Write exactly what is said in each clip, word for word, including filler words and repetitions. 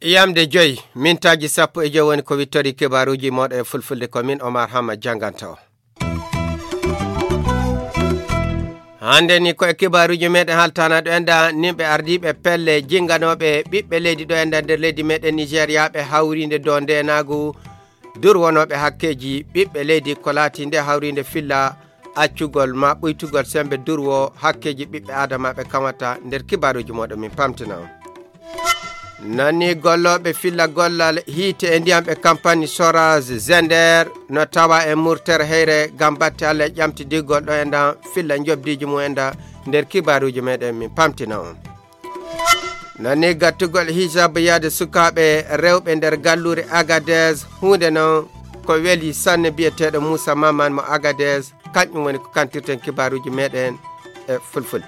Yamde joy, mintaaji sappo e joy woni ko wittori kibaaruuji mooɗon e fulfulde, ko min Omar Hama jannganta o. Hannde ni ko e kibaaruuji meɗen haltana ɗo enda nimɓe ardiiɓe pelle jinnganooɓe ɓiɓɓe leydi ɗo enda nder leydi meɗen Nigeriaaɓe hawriinde dow ndeenaagu durwonooɓe hakkeeji ɓiɓɓe leydi ko laati nde hawriinde filla accugol ma ɓuytugol semmbe durwo hakkeeji ɓiɓɓe aadamaaɓe kamata nder kibaaruuji mooɗon min pamtina on. Nani gollooɓe filla gollal hiite e ndiyam ɓe kampani Soraz Zender no tawa e murtere heyre ngam batte Allah e ƴamtidigol ɗo e ndan filla njobdiiji mum e nda nder kibaaruuji meɗen min pamtina on. Nani gattugol hijab yaade sukaaɓe rewɓe nder galluure Agadez huunde non ko weli sanne biyeteeɗo Moussa Maman mo Agadez, kanƴum woni ko kantirten kibaaruuji meɗen e fulfulde.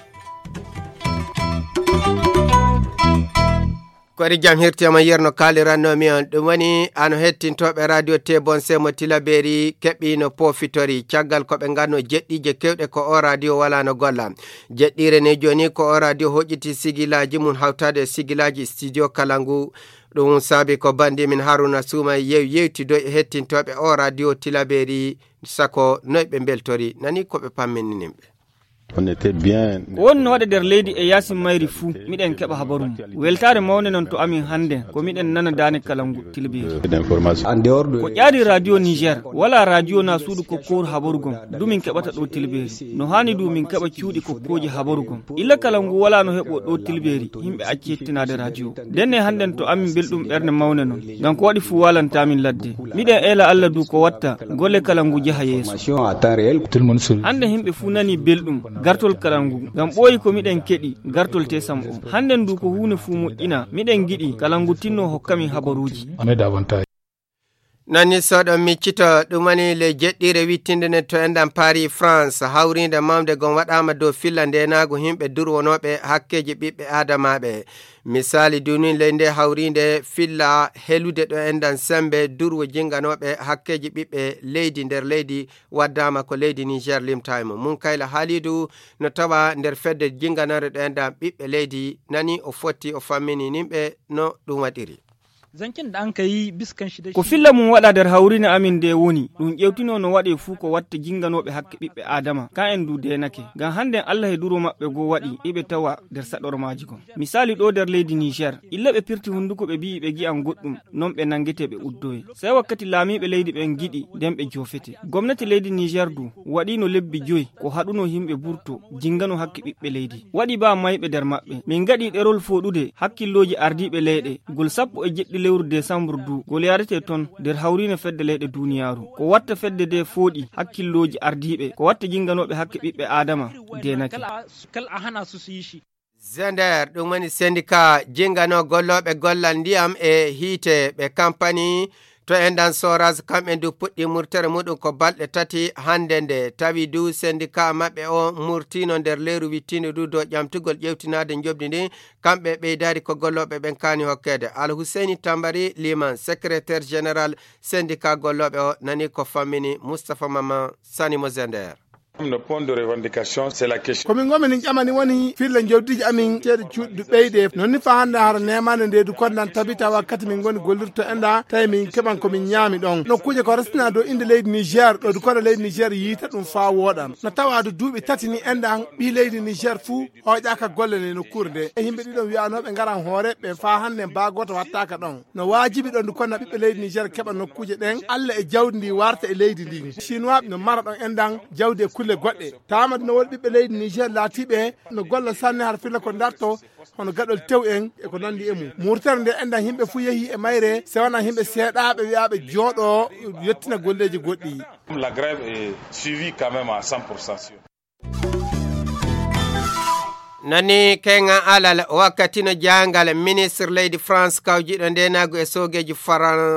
Koɗi jam hirtema yerno kalirannomi on ɗum woni ano hettintooɓe radio te bonse mo tilaberi keɓɓino poofitori caggal ko ɓe nganno jeɗɗiije kewɗe ko o radio walano golla. Jeɗɗire ne joni ko o radio hoƴƴiti sigilaaji mum hawtaade e sigilaaji studio kala ngu. Ɗum saabi ko bandi min haruna suuma yew yewtido e hettintooɓe o radio tilaberi sako noy ɓe mbeltori nani ko ɓe pamminini ɓe. On était bien. Ko woni no waɗa nder leydi e yaasi mayri fuu miɗen keɓa habaru mum. Weltaare mawnde non to amin hannde ko miɗen nana daane kala ngu tilbiri. Ko ƴaari radio niger wala radio na suudu ko kowru habaru gom du min keɓata ɗo tilbiri no haani du min keɓa cuuɗi ko kooji habaru gom. Illa kala ngu wala no heɓo ɗo tilbiri yimɓe acci hettinaade radio. Ndenne hannden to amin belɗum ɓernde mawne non. Ngam ko waɗi fuu walantamin ladde. Miɗen eela Allah du ko watta golle kala ngu jaha yeeso. Hannde yimɓe fuu nani belɗum gartol kala ngu ngam ɓooyi ko miɗen keɗi gartol tesam o. Hannden du ko huune fuu moƴƴina miɗen giɗi kala ngu tinno hokkamin habaruuji. Nani soɗo miccito ɗum woni le jeɗɗire wittinde ne to enɗan Paris France hawrinde mawde gon waɗama dow filla ndenaagu himɓe durwonooɓe hakkeeji ɓiɓɓe aadamaaɓe. Misaali dunin ley nde hawrinde filla helude ɗo enɗan sembe durwo jinganooɓe hakkeeji ɓiɓɓe leydi nder leydi waddama ko leydi Niger limta e mum. Munkayla Halidu no tawa nder fedde jinganore ɗo enɗan ɓiɓɓe leydi nani o fotti o fammini nimɓe no ɗum waɗiri. Ko filla mum waɗa nder hawrine amin nde woni ɗum ƴewtino no waɗe fuu ko watta jinganooɓe hakke ɓiɓɓe aadama ka en du deenake ngam hannden allah e duro maɓɓe goo waɗi iɓe tawa nder saɗormaaji gon. Misaali ɗo nder leydi niger illa ɓe pirti hunnduko ɓe mbi'i ɓe ngi'an goɗɗum non ɓe nanngete ɓe uddoye. Sey wakkati laamiiɓe leydi ɓen ngiɗi nden ɓe joofete. Gomnati leydi niger du waɗiino lebbi joyi ko haɗuno yimɓe burto jingano hakke ɓiɓɓe leydi waɗi baa mayɓe nder maɓɓe min ngaɗi ɗerol fooɗude hakkillooji ardiiɓe leyɗe ngol sappo e jeɗɗi lewru desambur du ngol yaarete ton nder hawriine fedde leyɗe duuniyaaru ko watta fedde nde fooɗi hakkillooji ardiiɓe ko watta jinganooɓe hakke ɓiɓɓe aadama deenake. Zender ɗum woni sendika jingano gollooɓe gollal ndiyam e hiite ɓe kampani to enɗan soras kamɓe ndu puɗɗi murtere muɗum ko balɗe tati hannde nde tawi du sendika maɓɓe o murtino nder leyru wittindo du dow ƴamtugol ƴewtinaade njoɓdi ndi. Kamɓe ɓeydaari ko gollooɓe ɓen kaani hokkeede. Alhuseyni Tambari Liman, secrétaire général sendika gollooɓe o, nani ko fammini Mustapha Mama Sani mo Zender. Komin ngoo minin ƴamani woni filla jawdiiji amin ceeɗe cuuɗi du ɓeyde non ni faa hannde hara neemaande nde du kondan tabita wakkati min ngoni gollirto enɗa tawi min keɓan ko min ñaami ɗon nokkuuje ko restina dow innde leydi niger ɗo du kono leydi niger yiita ɗum faa wooɗan no tawa du duuɓi tati ni enɗan ɓii leydi niger fuu hooƴaaka golle nde nokkuure nde e yimɓe ɗiɗon wi'anooɓe ngaran hoore ɓe faa hannde baa gooto wattaaka ɗon. No waajibi ɗon du konna ɓiɓɓe leydi niger keɓa nokkuuje ɗen allah e jawdi ndi warta e leydi ndin chinois no mara ɗon enɗan jawdi e kulle goɗɗe. Taama du no woodi ɓiɓɓe leydi niger laatiiɓe no golla sanne har filla ko darto hono gaɗol tew en e ko nanndi e mum murtere nde enɗan yimɓe fuu yehi e mayre se wona yimɓe seeɗaaɓe wi'aaɓe jooɗo yettina golleeji goɗɗi. La grève est suivie quand même à cent pour cent. Nani kenga alal wakkati no jaangal ministre leydi france kawjiɗo ndenagu e soogeeji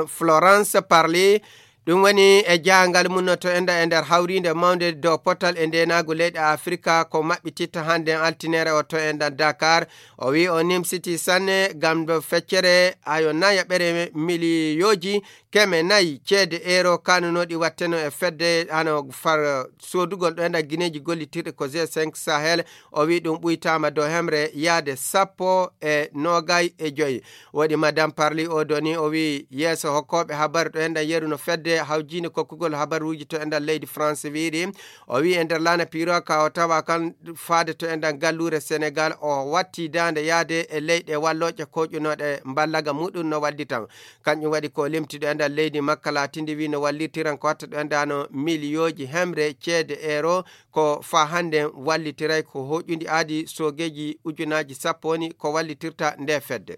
florence parli Ɗum woni e jahangal mum no to enɗan e nder hawriinde mawnde dow potal e ndeenaagu leyɗe Afrika ko maɓɓititta hannde altinere o to enɗan Dakar. O wi o nimsiti sanne ngam ɗo feccere ayo nayaɓere miliyooji keme nayi ceede euro kanunooɗi watteno e fedde hano far soodugol ɗo enɗan gineeji gollitirɗi ko G cinq Sahel. O wi ɗum ɓuytaama dow hemre yaade sappo e noogay e joyi. Woɗi Madame Parly o doni o wi yeeso hokkooɓe habaru ɗo enɗan yeru no fedde hawjiinde kokkugol habaruuji to enɗan leydi France wiiri. O wi e nder laana Piroka o tawa kan faade to enɗan galluure Senegal o watti daande yaade e leyɗe wallooje koƴunooɗe mballaga muɗum no wallitan. Kanƴum waɗi ko limti ɗo enɗan leydi makka laatindi wi no wallirtiran ko watta ɗo enɗano miliyooji hemre ceede euro ko fa hannde wallitiray ko hoƴundi aadi soogeeji ujunaaji sappo woni ko wallitirta nde fedde.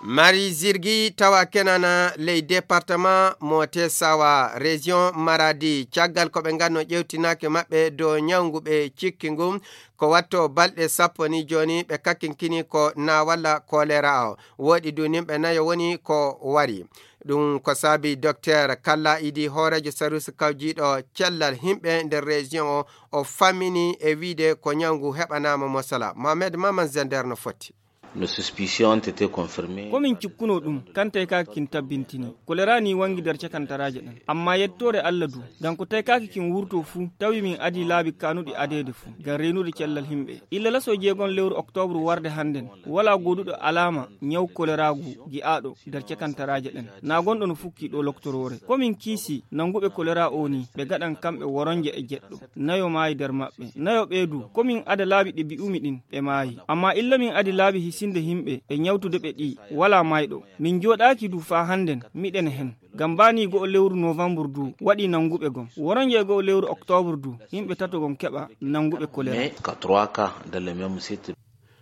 Mari zirgi tawa kenana ley département mo Tesawa région Maradi caggal ko ɓe nganno ƴewtinaake maɓɓe dow ñawngu ɓe cikki ngun ko watto balɗe sappo ni jooni ɓe kakkinkini ko na walla kolera o woɗi du nimɓe nayo woni ko wari. Ɗum ko saabi Doktor Kalla Idi hooreejo sarusi kawjiiɗo cellal himɓe nder région o o fammini e wiide ko ñawngu heɓanaama mosala Mohamed Maman Zender no foti. Nos suspicions ont été confirmées. Komin cikkuno ɗum kantay ka kin tabbintini kolera ni wangi nder cakantaraaje ɗen amma yettoore Allah du ngam ko taykaki kin wurto fuu tawi min adi laabi kanuɗi adeede fuu ngam reenude cellal himɓe illa laso jeegon lewru oktobru warde hannden wala goduɗo alama ñaw koleraagu gi'aaɗo nder cakantaraaje ɗen na gonɗo no fukki ɗo loktoroore komin kiisi nanguɓe kolera o ni ɓe gaɗan kamɓe woronje e jeɗɗo nayo maayi nder maɓɓe nayo ɓee du komin ada laabi ɗi mbi'umi ɗin ɓe maayi amma illa min adi laabi hisinde himɓe e ñawtude ɓe ɗi wala mayɗo min jooɗaaki du faa hannden miɗen hen ngam bani go'o lewru novembre du waɗi nanguɓe gon woronje e go'o lewru octobre du yimɓe tato gon keɓa nanguɓe kolera. Mais ka trois cas dans le même site.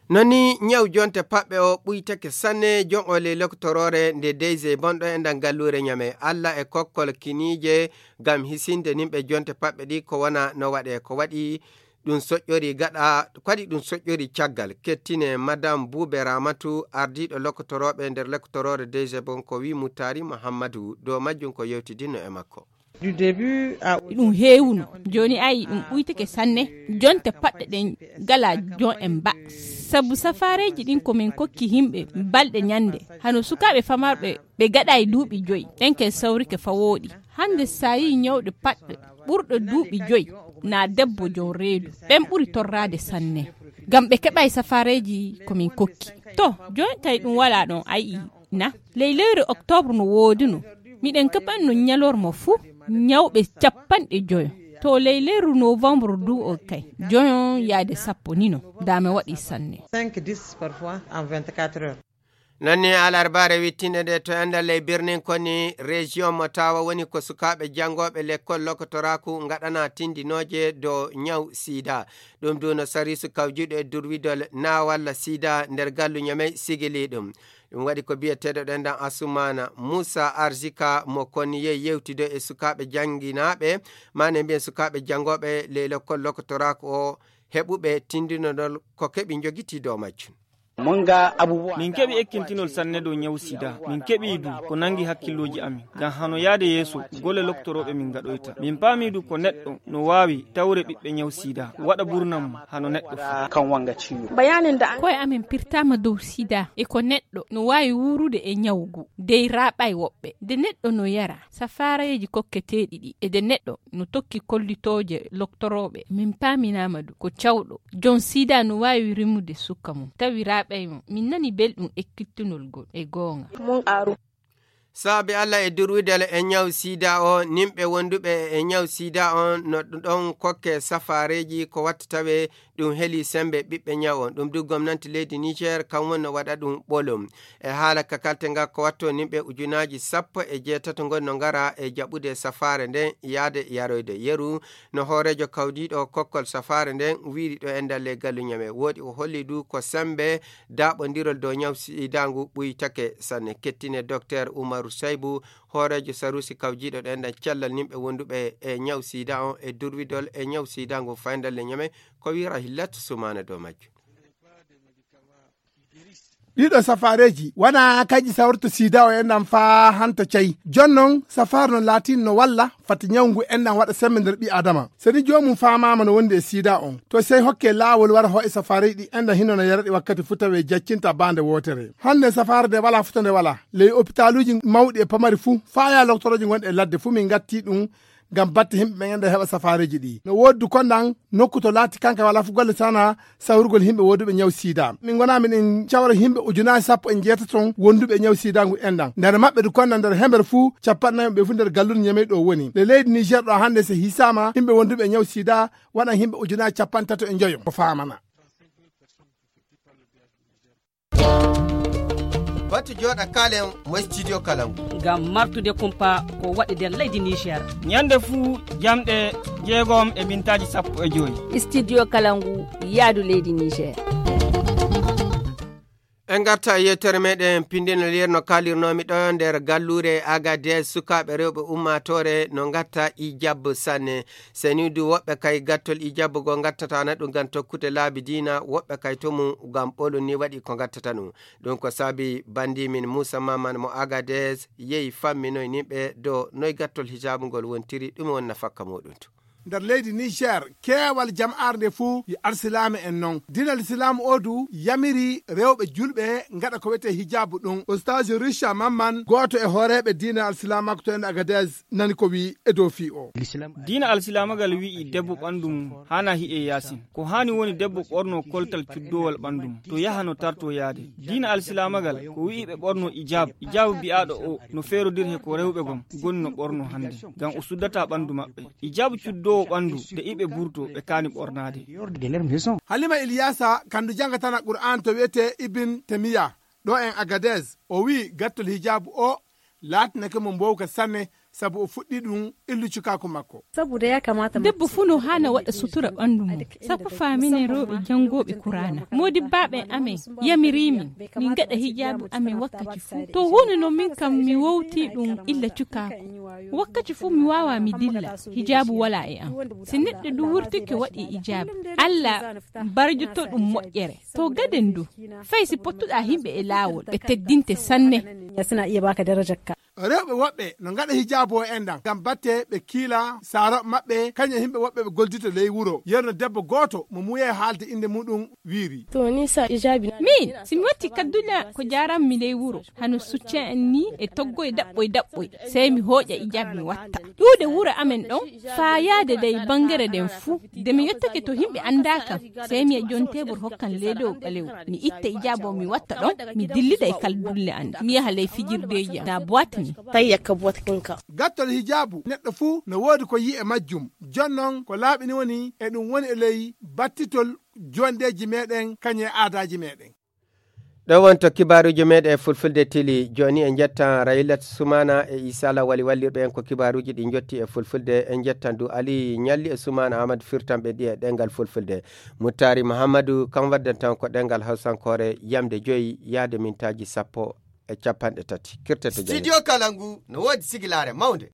Non ni ñaw jonte paɓɓe o ɓuytake sanne jon o ley loktoroore nde deyse bonɗo e ndan galluure ñame alla e kokkol kiniije ngam hisinde nimɓe jonte paɓɓe ɗi ko wona no waɗe ko waɗi ɗum soƴƴori gaɗa kadi ɗum soƴƴori caggal kettine madame buube ramatu ardiiɗo lokotorooɓe nder loktoroore deyse bon ko wi muttari muhammadu dow majjum ko yewtidinno e makko. Ɗum heewuno jooni ayi ɗum ɓuytake sanne jonte paɗɗe ɗen gala jon en ba sabu safaareeji ɗin ko min kokki yimɓe balɗe ñannde hano sukaaɓe famarɓe ɓe gaɗa e duuɓi joyi ɗen ken sawrike fawooɗi hannde so a yii ñawɗo paɗɗo ɓurɗo duuɓi joyi na debbo jon reedu ɓen ɓuri torraade sanne ngam ɓe keɓay safaareeji ko min kokki to jooni tawi ɗum wala ɗon ayi na ley lewru oktobru no wooduno miɗen keɓanno ñalorma fuu ñawɓe capanɗe joyo to ley lewru novembre du o kay joyon yaade sappo nino dame waɗi sanne. Cinq dix parfois en vingt-quatre heures. Nanni alarbaare wittinde nde to enɗan ley birnin koni région mo tawa woni ko sukaaɓe janngooɓe lekkol lokotoraaku ngaɗana tindinooje dow ñaw sida. Ɗum du no sariisu kawjiiɗo e durwidol na walla sida nder gallu ñamey sigili ɗum. Ɗum waɗi ko biyeteeɗo ɗenɗan Asumana Muusa Arzika mo koni yehi yewtido e sukaaɓe jannginaaɓe maane mbiyen sukaaɓe janngooɓe ley lekkol lokotoraaku o heɓuɓe tindinodol ko keɓi njogitii dow majjum. Min keɓi ekkintinol sanne dow ñawu sida min keɓi du ko nangi hakkillooji amin ngam hano yaade yeeso golle loktorooɓe min ngaɗoyta min paami du ko neɗɗo no waawi tawre ɓiɓɓe ñawu sida waɗa burnam hano neɗɗo fuu. Koye amin pirtaama dow sida e ko neɗɗo no waawi wuurude e ñawu ngu dey raaɓay woɓɓe nde neɗɗo no yara safaareeji kokketeeɗi ɗi e nde neɗɗo no tokki kollitooje loktorooɓe min paaminaama du ko cawɗo jon sida no waawi rimude sukka mum tawi raaɓay mum min nani belɗum ekkittunol ngol e goonga. Saabi allah e durwidal e ñaw sida o nimɓe wonduɓe e ñaw sida on no ɗon kokke safaareeji ko watta tawe ɗum heli sembe ɓiɓɓe ñaw on ɗum du gomnanti leydi niger kam wonno waɗa ɗum ɓolum. E haala ka kalte nga ko watto nimɓe ujunaaji sappo e jeetato ngon no ngara e jaɓude safaare nden yaade yaroyde yeru. No hooreejo kawdiiɗo kokkol safaare nden wiiri ɗo e ndalle galluñam e woodi o holli du ko sembe daaɓondirol dow ñaw sidangu ɓuytake sanne kettine docteur umaru saybu hooreejo sarusi kawjiiɗo ɗo e ndan cellal nimɓe wonduɓe e ñaw sida on e durwidol e ñaw sidangu fay ndalle ñame ko wiira hillatu sumana dow majjum. Ɗiɗo safaareeji wona kanƴi sawrata sida o enɗan faa hanta cayi. Jooni noon, safaare no laatino no walla fati ñawu ngu enɗan waɗa semmbe nder ɓii Aadama. So ni joomum faamaama no wondi e sida on, to sey hokke laawol wara hooƴa safaareeji ɗi enɗan hino no yara ɗi wakkati fuu tawi jaccinta baande wootere. Hannde safaare nde walaa fota nde walaa. Ley opitaaluuji mawɗi e pamari fuu, faa yaa loktorooji gonɗi e ladde fuu min ngatti ɗum ngam batte yimɓe ɓen enɗan heɓa safaareeji ɗi. No woodi du konɗan nokku to laati kanka walaa fuu golle sana sawrugol yimɓe wonduɓe ñaw sida. Min ngonaa miɗen cawra yimɓe ujunaaji sappo e njeetaton wonduɓe ñaw sida ngu enɗan. Nder maɓɓe du konɗan nder hember fuu, cappanɗe nayi ɓe fuu nder gallure Ñamey ɗo woni. Nde leydi Niger ɗo hannde so hisaama yimɓe wonduɓe ñaw sida, waɗan yimɓe ujunaaji cappanɗe tato e njoyo. Ko faamana. Batu jooɗa kaalen mo studio Kalangu. Ngam martude kumpa ko waɗi nder leydi Niger. Ñande fuu jamɗe jeegom e mintaaji sappo e joy. Studio Kalangu yaadu leydi Niger. En ngarta e yewtere meɗen pindinol yer no kaalirnoomi ɗo nder galluure Agadez, sukaaɓe rewɓe ummaatoore no ngatta ijab sanne. Senidu woɓɓe kay gattol ijab go ngattata na ɗum ngam tokkude laabi diina, woɓɓe kay to mum ngam ɓolum ni waɗi ko ngattata ɗum. Ɗum ko saabi bandi min Moussa Maman mo Agadez yehi famminoy nimɓe do noy gattol hijaabu ngol wontiri, ɗum won nafakka muɗum to. Nder leydi Niger, keewal jama'aare nde fuu yi alsilaame en non. Diina alsilaam o du yamiri rewɓe julɓe ngaɗa ko wiyetee hijaabu ɗum. Ustaaji Richa Mamman, gooto e hooreeɓe diina alsilaamaaku to en Agadez, nani ko wi'i e dow fii o. Diina alsilaamagal wi'i debbo ɓanndu mum haana hi'e yaasin. Ko haani woni debbo ɓorno koltal cuddoowal ɓanndu mum, to yaha no tarto yaade. Diina alsilaamagal ko wi'i ɓe ɓorno ijaab. Ijaabu bi'aaɗo o no feerodir he ko rewɓe gom goni no ɓorno hannde, ngam o suddata ɓanndu maɓɓe. Ijaabu cuddoowo ɓanndu de iɓe burto ɓe kaani ɓornaade. Halima Iliyasa, kandu jangatana Qur'aan to wiyetee Ibn Temiya, ɗo en Agadez, o wi'i gattol hijaabu o laatinake mo mbowka sanne, sabu o fuɗɗi ɗum illu cukaaku makko. Debbo fuu no haana waɗa sutura ɓanndu mum, sabu faaminen rewɓe janngooɓe Kuraana. Moodibbaaɓe amen yamiri min, min ngaɗa hijaabu amen wakkati fuu. To huunde no min kam mi wowti ɗum illa cukaaku. Wakkati fuu mi waawaa mi dilla, hijaabu walaa e am. Si neɗɗo du wurtike waɗi ijaabu, Alla barjoto ɗum moƴƴere. To gaden du, fay si pottuɗaa himɓe e laawol, ɓe teddinte sanne. Rewɓe woɓɓe no ngaɗa hijaabu o enɗan ngam batte ɓe kiila saarooɓe maɓɓe, kañum e yimɓe woɓɓe ɓe goldito ley wuro. Yerno debbo gooto mo muuyay haalde innde muɗum wiiri. Min, si mi watti kaddule ko jaaranmi ley wuro, hano succen en ni e toggoy daɓɓoy daɓɓoy, sey mi hooƴa ijaabu mi watta. Ƴuude wuro amen ɗon, faa yaade dey banngere nden fuu, de mi yottake to yimɓe anndaa kam, sey mi yi'a jon teebur hokkan leedowo ɓalewo. Mi itta ijaabu o mi watta ɗon, mi dillida e kaldulle an, mi yaha ley fijirdeeji am, na boîte ni. Gattol hijaabu, neɗɗo fuu no woodi ko yi'i e majjum. Jon non, ko laaɓi ni woni, e ɗum woni e ley battitol jondeeji meɗen, kañum e aadaaji meɗen. Ɗo wonto kibaaruuji meɗen e fulfulde tili. Jooni en njettan Rayilat Sumana e Isa Lawali wallirɓe en ko kibaaruuji ɗi njotti e fulfulde. En njettan du Ali Ñalli e Sumana Amadou firtanɓe ɗi e ɗemngal fulfulde. Muttari Muhammadu kam waddantan ko ɗemngal hawsankoore, yamde joyi yaade mintaaji sappo e capanɗe tati. Kirtete jam. Studio Kalangu no woodi sigilaare mawnde.